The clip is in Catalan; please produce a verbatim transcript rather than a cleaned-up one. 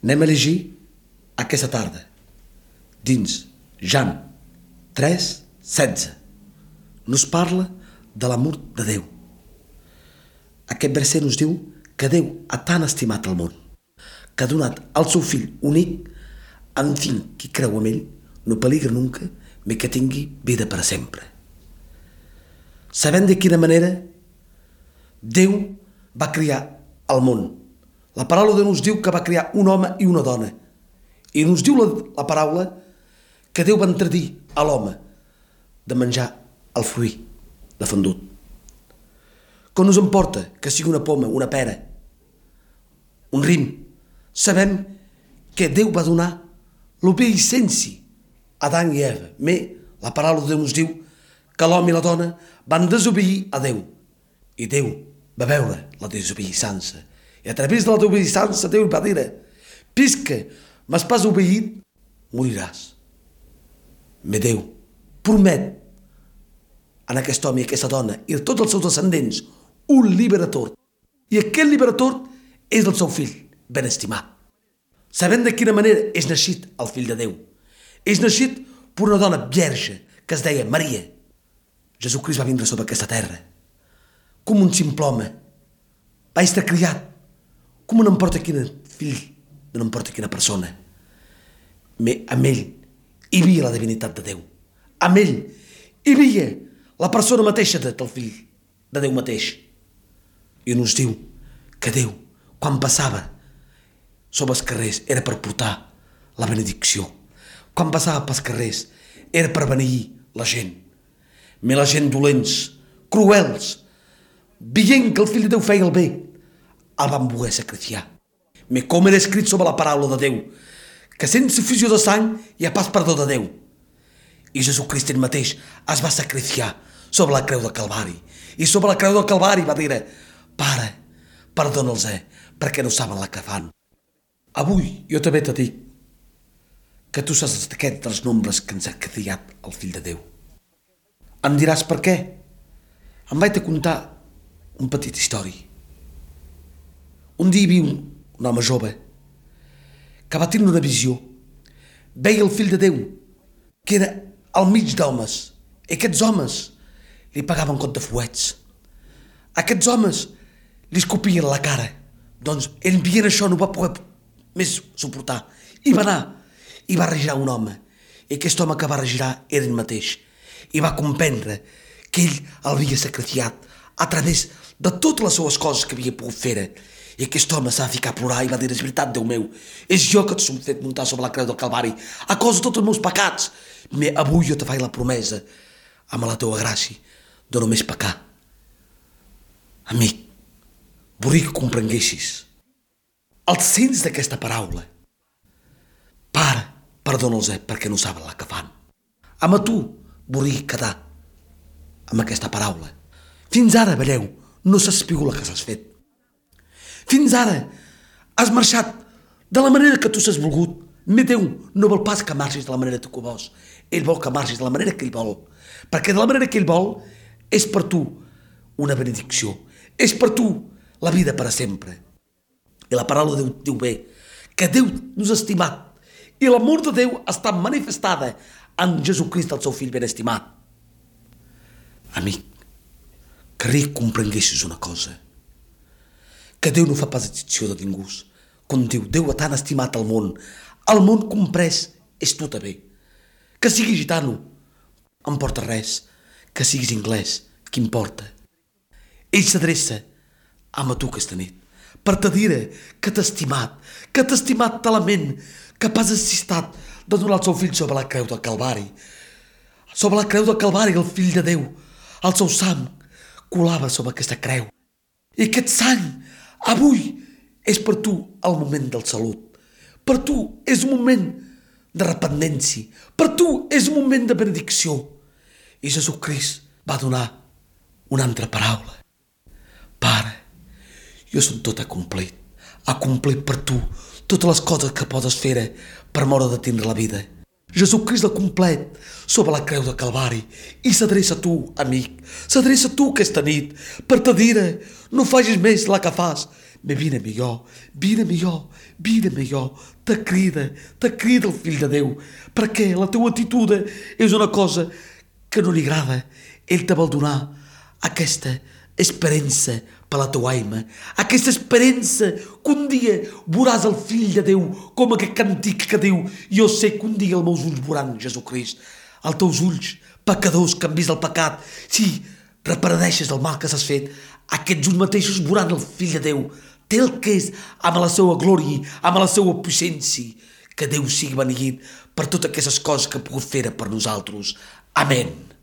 Anem a llegir aquesta tarda, dins Jan tres, setze. Nos parla de l'amor de Déu. Aquest verset nos diu que Déu ha tan estimat el món, que ha donat el seu fill únic, en fin, qui creu en ell, no peligra nunca, mais que tingui vida per sempre. Sabem de quina manera Déu va crear el món. La paraula de Déu nos diu que va crear un home i una dona. I nos diu la, la paraula que Déu va entredir a l'home de menjar el fruit de fendut. Com nos importa que sigui una poma, una pera, un rim? Sabem que Déu va donar l'obeïcència a Adán i Eva. Mais la paraula de Déu nos diu que l'home i la dona van desobeir a Déu. I Déu va veure la desobediència. I a través de la desobediència Déu va dir: «Pisca m'has pas obeït, moriràs». Mais Déu promet en aquest home i aquesta dona i a tots els seus descendents un liberador. I aquest liberador és el seu fill ben estimat. Sabem de quina manera és naixit el fill de Déu. És naixit per una dona verge que es deia Maria. Jesucrist va vindre sobre aquesta terra com un simple home. Va estar criat com no importa quin fill, no importa quina persona. Mais amb ell hi havia la divinitat de Déu. Amb ell hi havia la persona mateixa del fill de Déu mateix. I nos diu que Déu, quan passava sobre els carrers, era per portar la benedicció. Quan passava pels carrers, era per beneir la gent. Mais la gent dolents, cruels, veient que el fill de Déu feia el bé, el van voler sacrificar. Mais com era escrit sobre la paraula de Déu, que sense fusió de sang hi ha pas perdó de Déu. I Jesucrist ell mateix es va sacrificar sobre la creu del Calvari. I sobre la creu del Calvari va dir: «Pare, perdona'ls, perquè no saben la que fan». Avui jo també te dic que tu saps d'aquest dels nombres que ens ha criat el fill de Déu. Em diràs per què? Em vaig a contar un petit història. Un dia hi havia un, un home jove que va tenir una visió. Veia el fill de Déu, que era al mig d'homes. I aquests homes li pagaven compte de fuets. Aquests homes li escopien a la cara. Doncs ell veient això no va poder més suportar. I va anar i va regirar un home. I aquest home que va regirar era ell mateix. I va comprendre que ell l'havia sacrificat a través de totes les seues coses que havia pogut fer. I aquest home s'ha ficat a plorar i va dir: «És veritat, Déu meu, és jo que t'he fet muntar sobre la creu del Calvari a causa de tots els meus pecats. Mais avui jo te faig la promesa, amb la teua gràcia, de només pecar». Amic, volia que comprenguessis el sens d'aquesta paraula. Pare, perdona'ls perquè no saben la que fan. Amb tu volia quedar amb aquesta paraula. Fins ara, veieu, no saps pigu la que s'has fet. Fins ara has marxat de la manera que tu s'has volgut. Mais Déu no vol pas que marxis de la manera que tu vols. Ell vol que marxis de la manera que ell vol. Perquè de la manera que ell vol és per tu una benedicció. És per tu la vida per a sempre. I la paraula de Déu diu bé que Déu nos ha estimat i l'amor de Déu està manifestada en Jesucrist, el seu fill ben estimat. Amic, querria que comprenguessis una cosa, que Déu no fa pas excepció de ningú. Com diu, Déu ha tan estimat el món, el món comprès és tu també. Que siguis gitano, em porta res. Que siguis anglès, què importa? Ell s'adreça a tu aquesta nit per te dir que t'ha estimat, que t'ha estimat talament, que pas necessitat de donar el seu fill sobre la creu del Calvari. Sobre la creu del Calvari, el fill de Déu, el seu sang colava sobre aquesta creu. I aquest sang avui és per tu el moment del salut. Per tu és un moment de repentància. Per tu és un moment de benedicció. I Jesucrist va donar una altra paraula. Pare, jo som tot acomplit. Acomplit per tu totes les coses que podes fer per moure de tindre la vida. Jesucrist la complet sobre la creu de Calvari i s'adreça a tu, amic, s'adreça a tu aquesta nit per te dir: no facis més la que fas, Me vine millor, vine millor, vine millor, te crida, te crida el fill de Déu, perquè la teua actitud és una cosa que no li agrada. Ell te vol donar aquesta esperança per la teua alma, aquesta esperança que un dia veuràs el fill de Déu, com aquest cantic que diu, jo sé que un dia els meus ulls veuran Jesucrist, els teus ulls pecadors que han vist el pecat, si reparadeixes el mal que s'has fet, aquests ulls mateixos veuran el fill de Déu, té el que és amb la seva glòria, amb la seva potència, que Déu sigui beneït per totes aquestes coses que ha pogut fer per nosaltres. Amén.